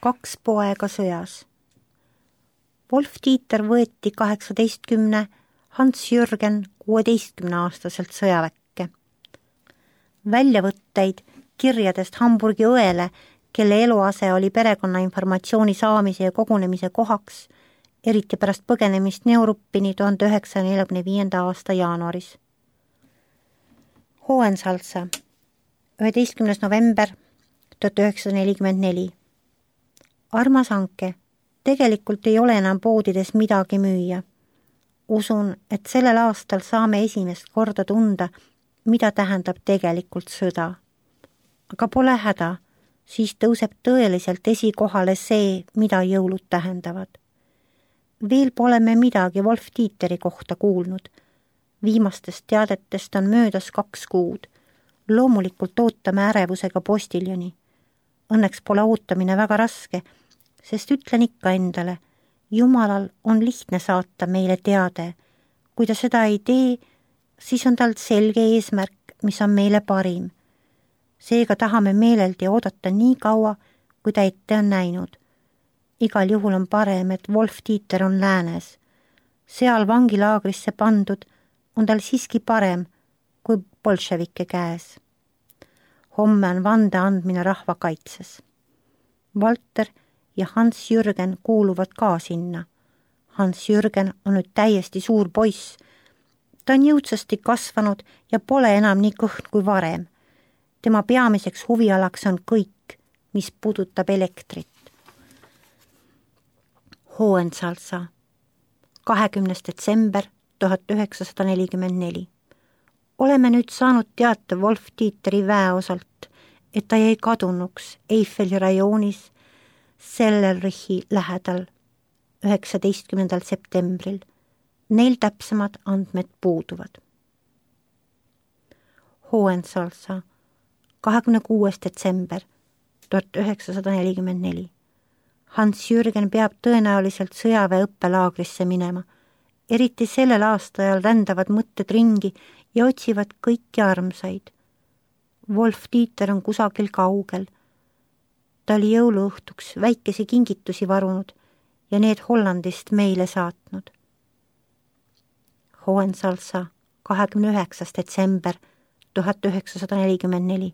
2 poega sõjas. Wolf-Dieter võeti 18, Hans-Jürgen 16-aastaselt sõjaväkke. Väljavõtteid kirjadest Hamburgi õele, kelle eluase oli perekonna informatsiooni saamise ja kogunemise kohaks, eriti pärast põgenemist Neuruppini 1945. aasta jaanuaris. Hohensalza, 11. november 1944. Armas Anke, tegelikult ei ole enam poodides midagi müüa. Usun, et sellel aastal saame esimest korda tunda, mida tähendab tegelikult sõda. Aga pole häda, siis tõuseb tõeliselt esikohale see, mida jõulud tähendavad. Veel pole me midagi Wolf-Dieteri kohta kuulnud. Viimastest teadetest on möödas 2 kuud. Loomulikult ootame ärevusega postiljoni. Õnneks pole ootamine väga raske, sest ütlen ikka endale, Jumalal on lihtne saata meile teade. Kui ta seda ei tee, siis on tal selge eesmärk, mis on meile parim. Seega tahame meeleldi oodata nii kaua, kui ta ette on näinud. Igal juhul on parem, et Wolf-Dieter on läänes. Seal vangilaagrisse pandud on tal siiski parem kui bolševike käes. Homme on vande andmine rahvakaitses. Walter ja Hans-Jürgen kuuluvad ka sinna. Hans-Jürgen on nüüd täiesti suur poiss. Ta on jõudsasti kasvanud ja pole enam nii kõhn kui varem. Tema peamiseks huvialaks on kõik, mis puudutab elektrit. Hohensalza, 20. detsember 1944. Oleme nüüd saanud teate Wolf-Dieteri väeosalt, et ta jäi kadunuks Eiffeli rajoonis Sellerrichi lähedal 19. septembril. Neil täpsemad andmed puuduvad. Hohensalza, 26. detsember 1944. Hans-Jürgen peab tõenäoliselt sõjaväe õppelaagrisse minema. Eriti sellel aastajal rändavad mõtted ringi ja otsivad kõiki armsaid. Wolf-Dieter on kusagil kaugel. Ta oli jõuluõhtuks väikesi kingitusi varunud ja need Hollandist meile saatnud. Hohensalza, 29. detsember 1944.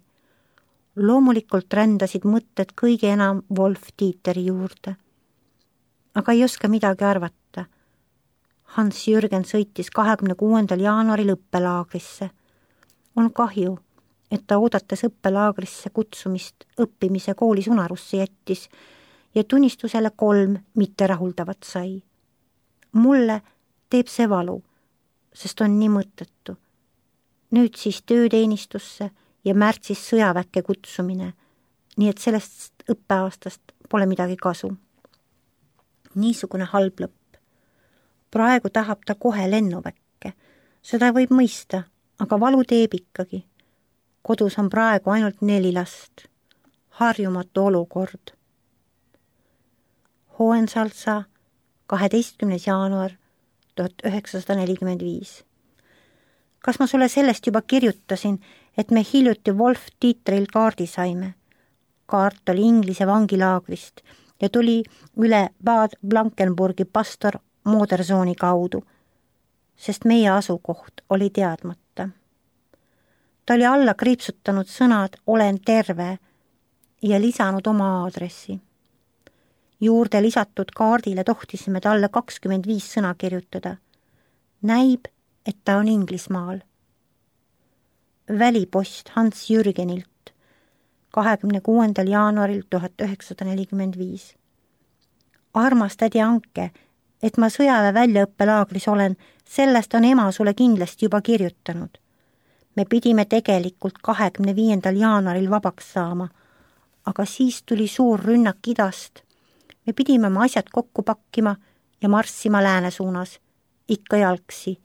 Loomulikult rändasid mõtted kõige enam Wolf-Dieteri juurde. Aga ei oska midagi arvata. Hans-Jürgen sõitis 26. jaanuaril õppelaagrisse. On kahju, et ta oodates õppelaagrisse kutsumist õppimise koolis unarusse jättis ja tunnistusele 3 mitterahuldavat sai. Mulle teeb see valu, sest on nii mõttetu. Nüüd siis tööteenistusse ja märtsis sõjaväkke kutsumine, nii et sellest õppeaastast pole midagi kasu. Niisugune halb lõpp. Praegu tahab ta kohe lennuväkke. Seda võib mõista, aga valu teeb ikkagi. Kodus on praegu ainult 4 last. Harjumatu olukord. Hohensalza, 12. jaanuar 1945. Kas ma sulle sellest juba kirjutasin, et me hiljuti Wolf-Dieteril kaardi saime? Kaart oli Inglise vangilaagrist ja tuli üle Bad Blankenburgi pastor Modersooni kaudu, sest meie asukoht oli teadmata. Ta oli alla kriipsutanud sõnad "olen terve" ja lisanud oma aadressi. Juurde lisatud kaardile tohtisime talle 25 sõna kirjutada. Näib, et ta on Inglismaal. Välipost Hans-Jürgenilt 26. jaanuaril 1945. Armas tädi Anke, et ma sõjaväe väljaõppelaagris olen, sellest on ema sulle kindlasti juba kirjutanud. Me pidime tegelikult 25. jaanuaril vabaks saama, aga siis tuli suur rünnak idast. Me pidime oma asjad kokku pakkima ja marssima lääne suunas, ikka jalgsi,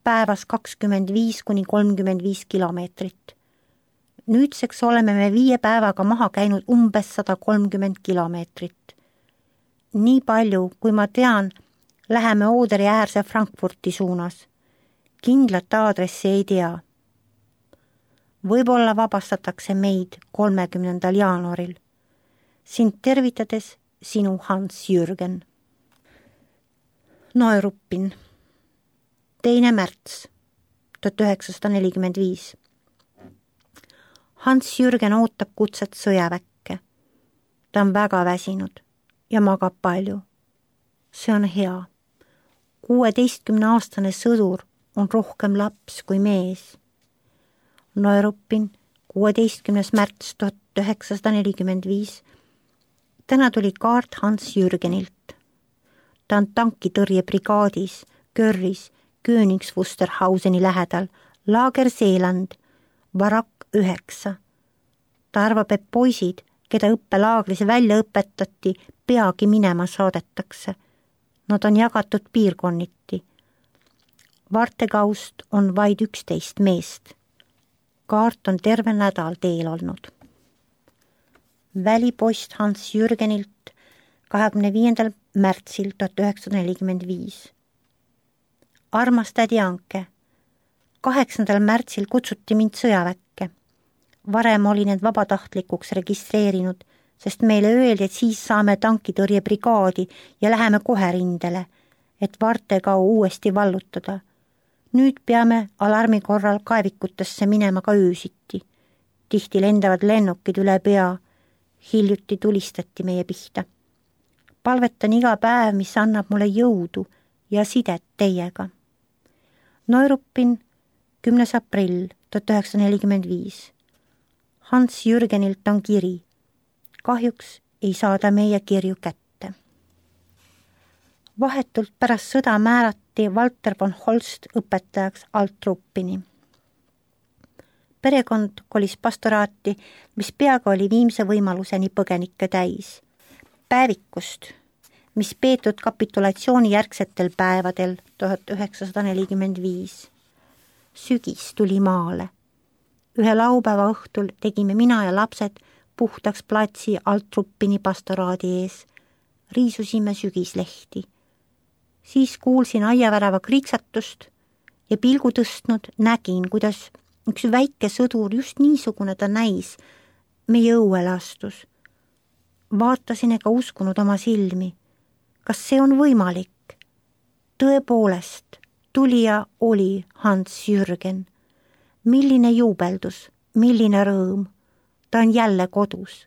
päevas 25–35 kilomeetrit. Nüüdseks oleme me 5 päevaga maha käinud umbes 130 kilomeetrit. Nii palju, kui ma tean, läheme Ooderi äärse Frankfurti suunas. Kindlat aadressi ei tea. Võib-olla vabastatakse meid 30. jaanuaril. Sind tervitades sinu Hans-Jürgen. Neuruppin, 2. märts 1945. Hans-Jürgen ootab kutset sõjaväkke. Ta on väga väsinud ja magab palju. See on hea. 16-aastane sõdur on rohkem laps kui mees. Neuruppin, 16. märts 1945. Täna tuli kaart Hans-Jürgenilt. Ta on tankitõrjebrigaadis, Görris, Königswusterhauseni lähedal, laager Seeland, varakk 9. Ta arvab, et poisid, keda õppelaagris välja õpetati, peagi minema saadetakse. Nad on jagatud piirkonniti. Vartekaust on vaid 11 meest. Kaart on terve nädal teel olnud. Välipost Hans-Jürgenilt 25. märtsil 1945. Armas tädi Anke, 8. märtsil kutsuti mind sõjaväkke. Varem olin need vabatahtlikuks registreerinud, sest meile öeldi, et siis saame tankitõrjebrigaadi ja läheme kohe rindele, et Vartekau uuesti vallutada. Nüüd peame alarmi korral kaevikutesse minema ka öösiti. Tihti lendavad lennukid üle pea. Hiljuti tulistati meie pihta. Palvetan iga päev, mis annab mulle jõudu ja sidet teiega. Neuruppin, 10. aprill 1945. Hans-Jürgenilt on kiri. Kahjuks ei saada meie kirju kätte. Vahetult pärast sõda määrati Walter von Holst õpetajaks Altruppini. Perekond kolis pastoraati, mis peaaegu oli viimse võimaluseni põgenikke täis. Päevikust, mis peetud kapitulatsiooni järgsetel päevadel 1945. Sügis tuli maale. Ühe laupäeva õhtul tegime mina ja lapsed puhtaks platsi Altruppini pastoraadi ees. Riisusime sügislehti. Siis kuulsin aiavärava kriiksatust ja pilgu tõstnud nägin, kuidas üks väike sõdur, just niisugune ta näis, meie õuele astus. Vaatasin ega uskunud oma silmi. Kas see on võimalik? Tõepoolest, tulija oli Hans-Jürgen. Milline juubeldus, milline rõõm. Ta on jälle kodus.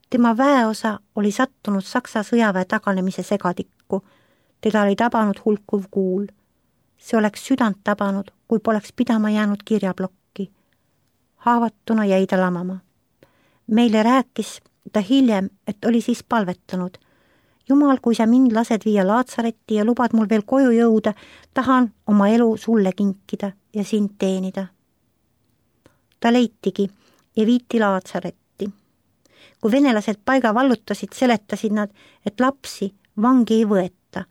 Tema väeosa oli sattunud Saksa sõjaväe taganemise segadikku. Teda oli tabanud hulkuv kuul. See oleks südant tabanud, kui poleks pidama jäänud kirjablokki. Haavatuna jäi ta lamama. Meile rääkis ta hiljem, et oli siis palvetanud. Jumal, kui sa mind lased viia Laatsaretti ja lubad mul veel koju jõuda, tahan oma elu sulle kinkida ja sind teenida. Ta leitigi ja viiti Laatsaretti. Kui venelased paiga vallutasid, seletasid nad, et lapsi vangi ei võeta.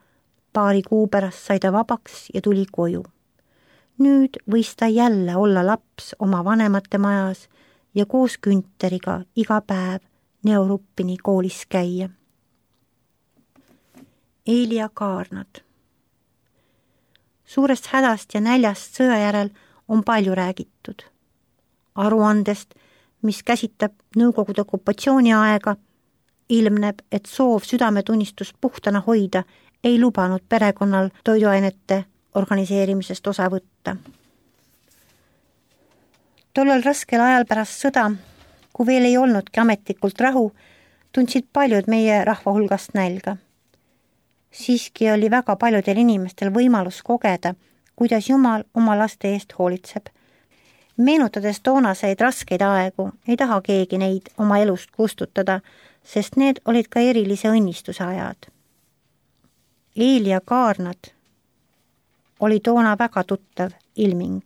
Paari kuu pärast sai ta vabaks ja tuli koju. Nüüd võis ta jälle olla laps oma vanemate majas ja koos Günteriga iga päev Neuruppini koolis käia. Eelia Kaarnad. Suurest hädast ja näljast sõja järel on palju räägitud. Aruandest, mis käsitab Nõukogude okupatsiooni aega, ilmneb, et soov südametunnistust puhtana hoida ei lubanud perekonnal toiduainete organiseerimisest osa võtta. Tollel raskel ajal pärast sõda, kui veel ei olnudki ametlikult rahu, tundsid paljud meie rahva hulgast nälga. Siiski oli väga paljudel inimestel võimalus kogeda, kuidas Jumal oma laste eest hoolitseb. Meenutades toonaseid raskeid aegu, ei taha keegi neid oma elust kustutada, sest need olid ka erilise õnnistuse ajad. Eelia Kaarnad oli toona väga tuttav ilming.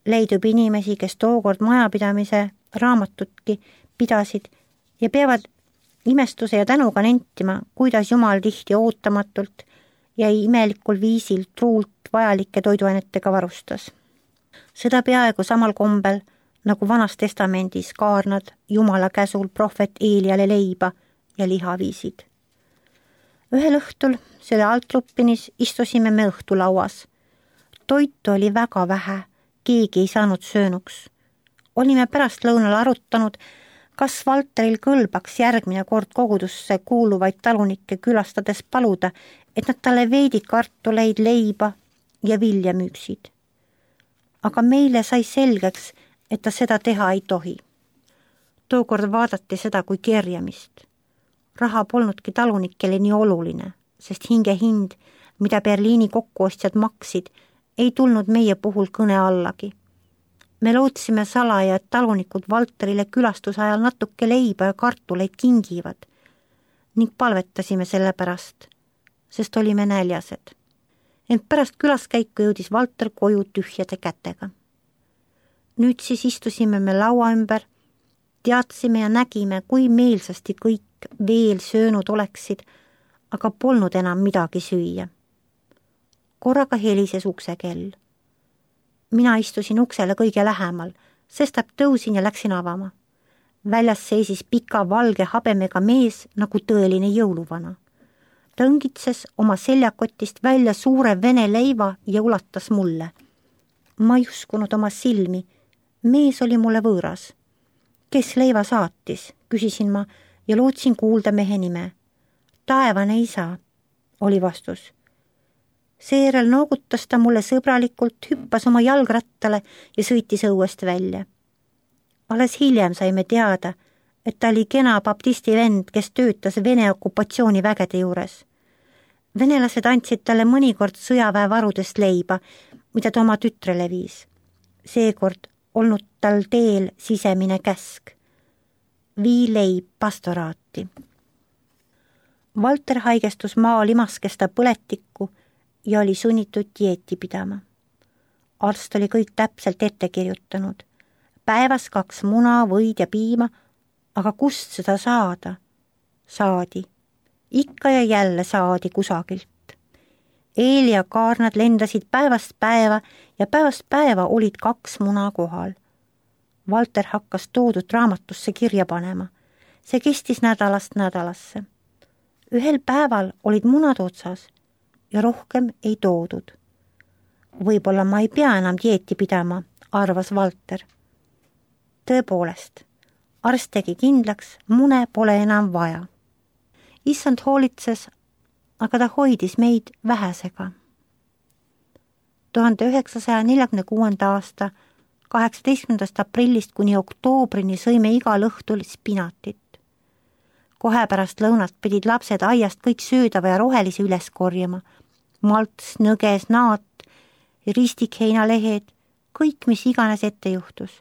Leidub inimesi, kes tookord majapidamise raamatutki pidasid ja peavad imestuse ja tänuga nentima, kuidas Jumal tihti ootamatult ja imelikul viisil truult vajalike toiduainetega varustas. Seda peaaegu samal kombel, nagu Vanas Testamendis Kaarnad Jumala käsul prohvet Eeliale leiba ja liha viisid. Ühel õhtul selle Altruppinis istusime me õhtulauas. Toitu oli väga vähe, keegi ei saanud söönuks. Olime pärast lõunal arutanud, Kas Valteril kõlbaks järgmine kord kogudusse kuuluvaid talunikke külastades paluda, et nad talle veidi kartuleid, leiba ja vilja müüksid? Aga meile sai selgeks, et ta seda teha ei tohi. Tookord vaadati seda kui kerjamist. Raha polnudki talunikele nii oluline, sest hingehind, mida Berliini kokkuostjad maksid, ei tulnud meie puhul kõne allagi. Me lootsime salaja, et talunikud Valterile külastuse ajal natuke leiba ja kartuleid kingivad ning palvetasime selle pärast, sest olime näljased. Ent pärast külaskäiku jõudis Valter koju tühjade kätega. Nüüd siis istusime me laua ümber, teadsime ja nägime, kui meelsasti kõik veel söönud oleksid, aga polnud enam midagi süüa. Korraga helises uksekell. Mina istusin uksele kõige lähemal, sestap tõusin ja läksin avama. Väljas seisis pika valge habemega mees nagu tõeline jõuluvana. Ta õngitses oma seljakotist välja suure vene leiva ja ulatas mulle. Ma ei uskunud oma silmi. Mees oli mulle võõras. Kes leiva saatis, küsisin ma ja lootsin kuulda mehe nime. Taevane isa, oli vastus. Seejärel noogutas ta mulle sõbralikult, hüppas oma jalgrattale ja sõitis õuest välja. Alles hiljem saime teada, et ta oli kena baptisti vend, kes töötas Vene okupatsioonivägede juures. Venelased andsid talle mõnikord sõjaväevarudest leiba, mida ta oma tütrele viis. Seekord olnud tal teel sisemine käsk. Vii leib pastoraati. Valter haigestus maalimaskesta põletikku ja oli sunnitud dieeti pidama. Arst oli kõik täpselt ette kirjutanud. Päevas 2 muna, võid ja piima, aga kust seda saada? Saadi. Ikka ja jälle saadi kusagilt. Eel ja kaarnad lendasid päevast päeva ja päevast päeva olid 2 muna kohal. Valter hakkas toodud raamatusse kirja panema. See kestis nädalast nädalasse. Ühel päeval olid munad otsas ja rohkem ei toodud. Võib-olla ma ei pea enam dieeti pidama, arvas Valter. Tõepoolest, arst tegi kindlaks, mune pole enam vaja. Issand hoolitses, aga ta hoidis meid vähesega. 1946. aasta 18. aprillist kuni oktoobrini sõime igal õhtul spinatit. Kohe pärast lõunat pidid lapsed aiast kõik söödava ja rohelisi üles korjama. Malts, nõges, naat, ristikheinalehed, kõik, mis iganes ette juhtus.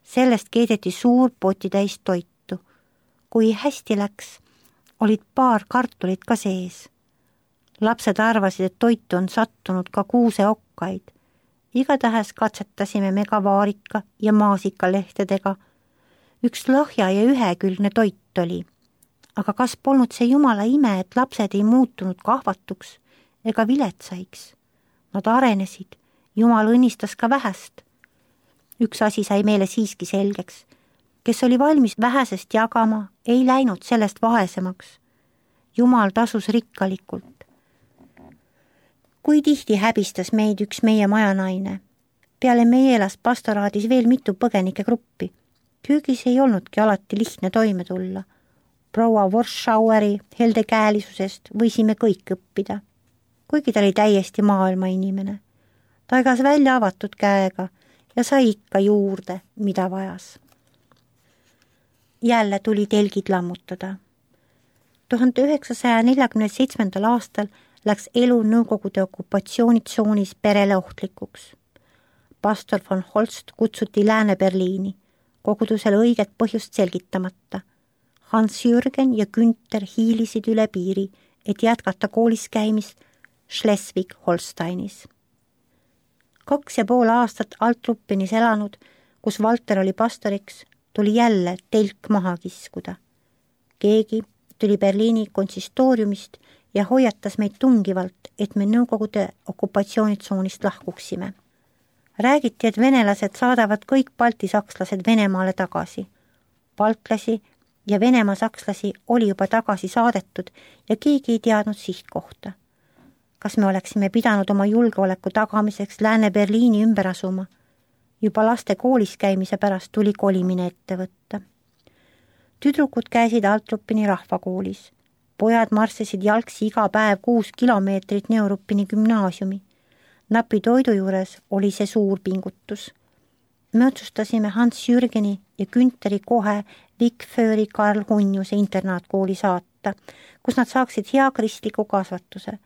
Sellest keedeti suur potitäis toitu. Kui hästi läks, olid paar kartulit ka sees. Lapsed arvasid, et toitu on sattunud ka kuuseokkaid. Igatahes katsetasime me ka vaarika ja maasikalehtedega. Üks lahja ja ühekülgne toit oli. Aga kas polnud see jumala ime, et lapsed ei muutunud kahvatuks ega viletsaiks? Nad arenesid, jumal õnnistas ka vähest. Üks asi sai meile siiski selgeks. Kes oli valmis vähesest jagama, ei läinud sellest vaesemaks. Jumal tasus rikkalikult. Kui tihti häbistas meid üks meie majanaine. Peale meie elas pastoraadis veel mitu põgenike gruppi. Köögis ei olnudki alati lihtne toime tulla. Proua Warschaueri heldekäelisusest võisime kõik õppida, kuigi ta oli täiesti maailma inimene. Ta igas välja avatud käega ja sai ikka juurde, mida vajas. Jälle tuli telgid lammutada. 1947. aastal läks elu Nõukogude okupatsioonitsoonis perele ohtlikuks. Pastor von Holst kutsuti Lääne-Berliini, kogudusele õiget põhjust selgitamata. Hans-Jürgen ja Günther hiilisid üle piiri, et jätkata koolis käimist Schleswig-Holsteinis. 2,5 aastat Altruppenis elanud, kus Valter oli pastoriks, tuli jälle telk maha kiskuda. Keegi tuli Berliini konsistooriumist ja hoiatas meid tungivalt, et me Nõukogude okupatsioonitsoonist lahkuksime. Räägiti, et venelased saadavad kõik Balti sakslased Venemaale tagasi. Baltlasi ja Venemaa sakslasi oli juba tagasi saadetud ja keegi ei teadnud sihtkohta. Kas me oleksime pidanud oma julgeoleku tagamiseks Lääne-Berliini ümber asuma? Juba laste koolis käimise pärast tuli kolimine ette võtta. Tüdrukud käisid Altrupini rahvakoolis. Pojad marssisid jalgsi iga päev 6 kilomeetrit Neurupini gümnaasiumi. Napi toidu juures oli see suur pingutus. Me otsustasime Hans Jürgeni ja Günteri kohe Vikfööri Karl Hunjuse internaatkooli saata, kus nad saaksid hea kristliku kasvatuse.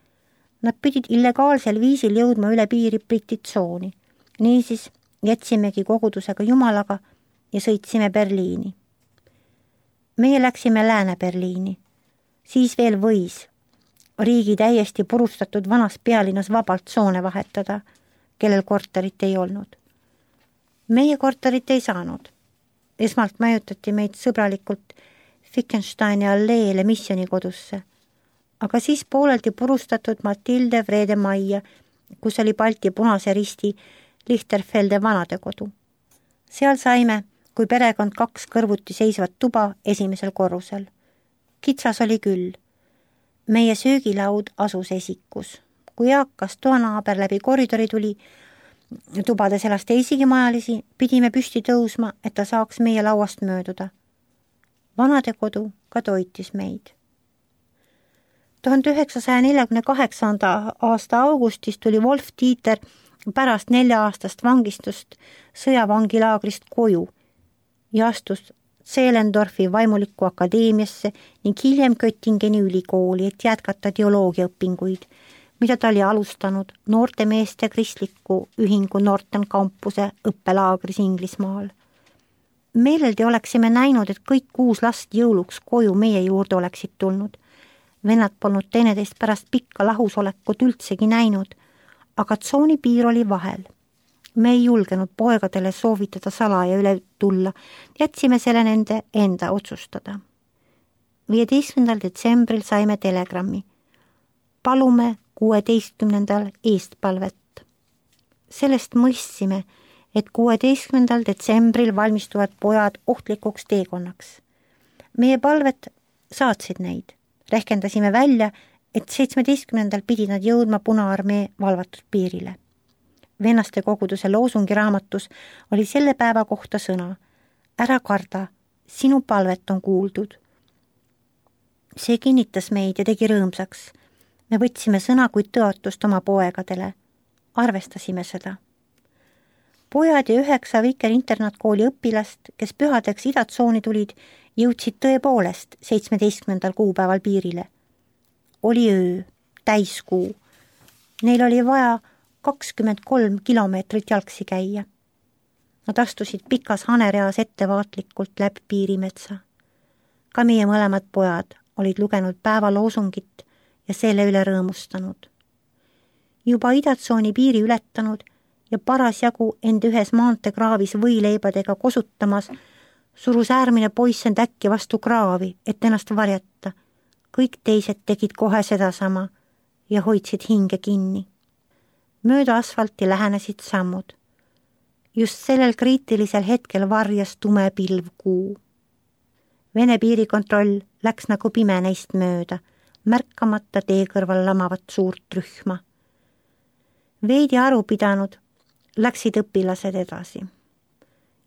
Nad pidid illegaalsel viisil jõudma üle piiri Briti tsooni. Niisiis jätsimegi kogudusega Jumalaga ja sõitsime Berliini. Meie läksime Lääne-Berliini. Siis veel võis riigi täiesti purustatud vanas pealinnas vabalt tsoone vahetada, kellel korterit ei olnud. Meie korterit ei saanud. Esmalt majutati meid sõbralikult Fickensteini alleele missionikodusse, aga siis pooleldi purustatud Matilde Vrede majja, kus oli Balti Punase Risti Lichterfelde vanadekodu. Seal saime, kui perekond 2 kõrvuti seisvat tuba esimesel korrusel. Kitsas oli küll. Meie söögilaud asus esikus. Kui eakas toanaaber läbi koridori tuli, tubades elas teisigi majalisi, pidime püsti tõusma, et ta saaks meie lauast mööduda. Vanadekodu ka toitis meid. 1948. aasta augustis tuli Wolf Dieter pärast 4-aastast vangistust sõjavangilaagrist koju ja astus Zehlendorfi vaimulikku akadeemiasse ning hiljem Göttingeni ülikooli, et jätkata teoloogiaõpinguid, mida ta oli alustanud noortemeeste kristliku ühingu Norton kampuse õppelaagris Inglismaal. Meeleldi oleksime näinud, et kõik 6 last jõuluks koju meie juurde oleksid tulnud. Vennad polnud teineteist pärast pikka lahusolekut üldsegi näinud, aga tsooni piir oli vahel. Me ei julgenud poegadele soovitada salaja üle tulla, jätsime selle nende enda otsustada. 15. detsembril saime telegrammi. Palume 16. eestpalvet. Sellest mõistsime, et 16. detsembril valmistuvad pojad ohtlikuks teekonnaks. Meie palvet saatsid neid. Rehkendasime välja, et 17. pidid nad jõudma Punaarmee valvatud piirile. Vennaste koguduse loosungiraamatus oli selle päeva kohta sõna: ära karda, sinu palvet on kuuldud. See kinnitas meid ja tegi rõõmsaks. Me võtsime sõna kui tõotust oma poegadele. Arvestasime seda. Pojad ja 9 Viker internaatkooli õpilast, kes pühadeks idatsooni tulid, jõudsid tõepoolest 17. kuupäeval piirile. Oli öö, täiskuu. Neil oli vaja 23 kilomeetrit jalgsi käia. Nad astusid pikas hanereas ettevaatlikult läbi piirimetsa. Ka meie mõlemad pojad olid lugenud päeva loosungit ja selle üle rõõmustanud. Juba idatsooni piiri ületanud ja parasjagu end ühes maanteekraavis võileibadega kosutamas, surus äärmine poiss end äkki vastu kraavi, et ennast varjata. Kõik teised tegid kohe sedasama ja hoidsid hinge kinni. Mööda asfalti lähenesid sammud. Just sellel kriitilisel hetkel varjas tume pilv kuu. Vene piirikontroll läks nagu pime neist mööda, märkamata tee kõrval lamavat suurt rühma. Veidi aru pidanud läksid õpilased edasi.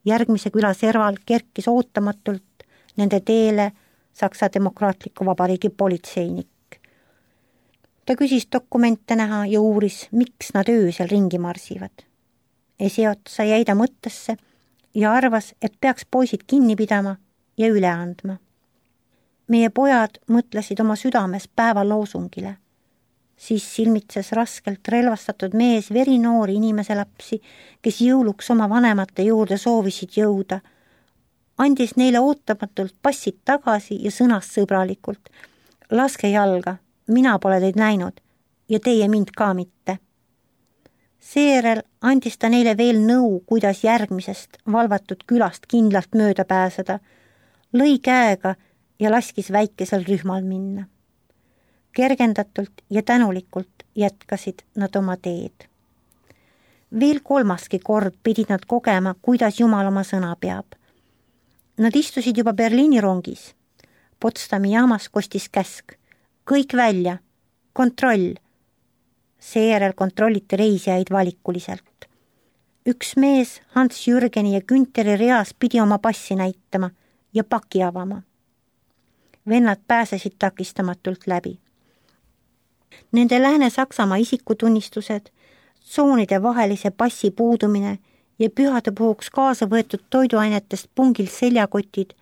Järgmise küla serval kerkis ootamatult nende teele Saksa Demokraatliku Vabariigi politseinik. Ta küsis dokumente näha ja uuris, miks nad öösel ringi marsivad. Esiotsa jäi ta mõttesse ja arvas, et peaks poisid kinni pidama ja üle andma. Meie pojad mõtlesid oma südames päeva loosungile. Siis silmitses raskelt relvastatud mees verinoori inimese lapsi, kes jõuluks oma vanemate juurde soovisid jõuda. Andis neile ootamatult passid tagasi ja sõnas sõbralikult: laske jalga, mina pole teid näinud ja teie mind ka mitte. Seejärel andis ta neile veel nõu, kuidas järgmisest valvatud külast kindlalt mööda pääseda, lõi käega ja laskis väikesel rühmal minna. Kergendatult ja tänulikult jätkasid nad oma teed. Veel 3. kord pidid nad kogema, kuidas Jumal oma sõna peab. Nad istusid juba Berliini rongis. Potsdami jaamas kostis käsk: kõik välja, kontroll. Seejärel kontrolliti reisijaid valikuliselt. Üks mees Hans Jürgeni ja Günteri reas pidi oma passi näitama ja paki avama. vennad pääsesid takistamatult läbi. Nende Lääne-Saksamaa isikutunnistused, tsoonide vahelise passi puudumine ja pühade puhuks kaasa võetud toiduainetest pungil seljakotid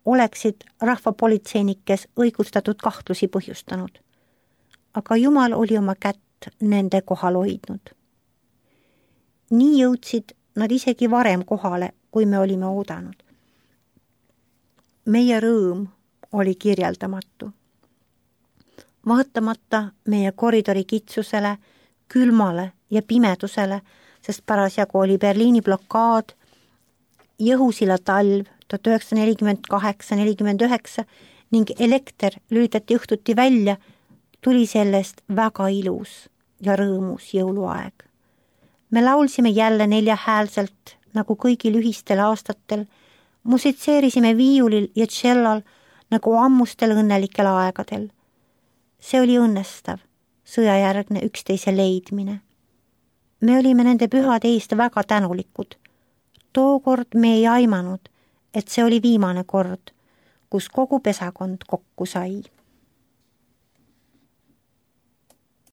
oleksid rahvapolitseinikes õigustatud kahtlusi põhjustanud. Aga Jumal oli oma kätt nende kohal hoidnud. Nii jõudsid nad isegi varem kohale, kui me olime oodanud. Meie rõõm oli kirjeldamatu. Vaatamata meie koridori kitsusele, külmale ja pimedusele, sest parasjagu oli Berliini blokaad, Jõhusilla talv 1948-49 ning elekter lülitati õhtuti välja, tuli sellest väga ilus ja rõõmus jõuluaeg. Me laulsime jälle neljahäälselt, nagu kõigil ühistel aastatel, musitseerisime viiulil ja tšellal nagu ammustel õnnelikel aegadel. See oli õnnestav, sõjajärgne üksteise leidmine. Me olime nende pühade eest väga tänulikud. Tookord me ei aimanud, et see oli viimane kord, kus kogu pesakond kokku sai.